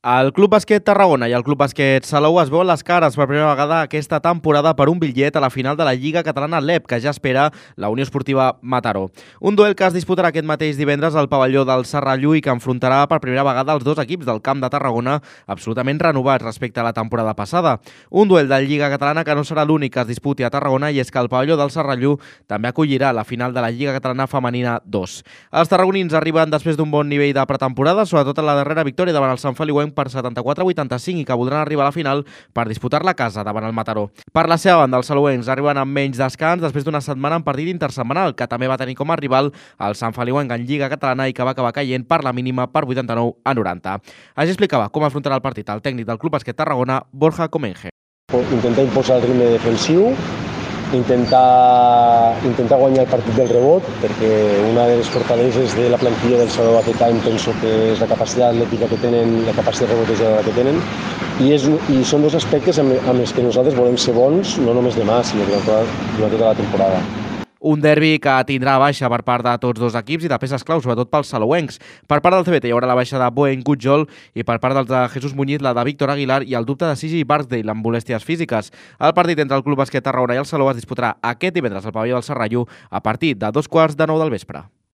El Club Bàsquet Tarragona i el Club Bàsquet Salou es veuen les cares per primera vegada aquesta temporada per un bitllet a la final de la Lliga Catalana LEP, que ja espera la Unió Esportiva Mataró. Un duel que es disputarà aquest mateix divendres al pavelló del Serrallú i que enfrontarà per primera vegada els dos equips del Camp de Tarragona absolutament renovats respecte a la temporada passada. Un duel de Lliga Catalana que no serà l'únic que es disputi a Tarragona, i és que el pavelló del Serrallú també acollirà la final de la Lliga Catalana Femenina 2. Els tarragonins arriben després d'un bon nivell de pretemporada, sobretot en la darrera victòria davant el Sant Feliuenc per 74-85 i que voldran arribar a la final per disputar-la a casa davant el Mataró. Per la seva banda, els salouencs arriben amb menys descans després d'una setmana en partit intersetmanal que també va tenir com a rival el Sant Feliuenc en Lliga Catalana i que va acabar caient per la mínima per 89-90. Així explicava com afrontarà el partit el tècnic del Club Bàsquet Tarragona, Borja Comenge. Intentar imposar el ritme defensiu, intentar guanyar el partit del rebot, perquè una de les fortaleses de la plantilla del Salou aquest any penso que és la capacitat atlètica que tenen, la capacitat rebotejadora que tenen, i són dos aspectes amb els que nosaltres volem ser bons, no només demà, sinó durant tota la temporada. Un derbi que tindrà baixa per part de tots dos equips i de peces clau, sobretot pels salouencs. Per part del CBT hi haurà la baixa de Boen Gutjol i per part dels de Jesús Muñiz la de Víctor Aguilar i el dubte de Sigi Barksdale amb molèsties físiques. El partit entre el Club Bàsquet Tarragona i el Salou es disputarà aquest divendres al pavelló del Serrallú a partir de 2:15 del vespre.